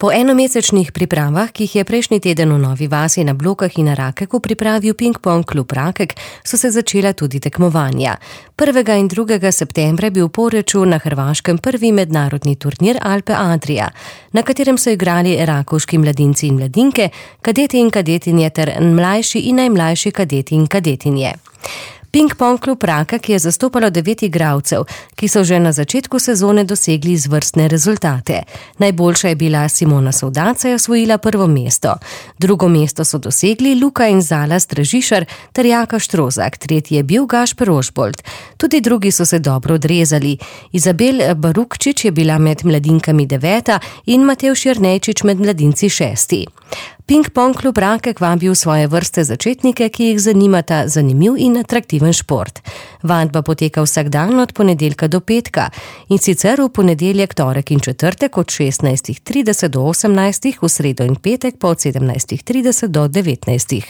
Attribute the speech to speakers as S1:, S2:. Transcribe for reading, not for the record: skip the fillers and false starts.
S1: Po enomesečnih pripravah, ki jih je prejšnji teden v Novi Vasi na Blokah in na Rakeku pripravil Ping-pong klub Rakek, so se začela tudi tekmovanja. 1. in 2. septembra je bil v Poreču na Hrvaškem prvi mednarodni turnir Alpe Adria, na katerem so igrali rakovški mladinci in mladinke, kadeti in kadetinje ter mlajši in najmlajši kadeti in kadetinje. Ping-pong klub Rakek je zastopalo 9 igralcev, ki so že na začetku sezone dosegli izvrstne rezultate. Najboljša je bila Simona Sovdaca, je osvojila prvo mesto. Drugo mesto so dosegli Luka in Zala Stražišar ter Jaka Štrozak, tretji je bil Gašper Ožbolt. Tudi drugi so se dobro odrezali. Izabel Barukčič je bila med mladinkami 9. in Matevž Jernejčič med mladinci 6. Ping-pong klub Rakek vabi v svoje vrste začetnike, ki jih zanimata zanimiv in atraktiven šport. Vadba poteka vsak dan od ponedeljka do petka, in sicer v ponedeljek, torek in četrtek od 16:30 do 18, v sredo in petek pa od 17:30 do 19.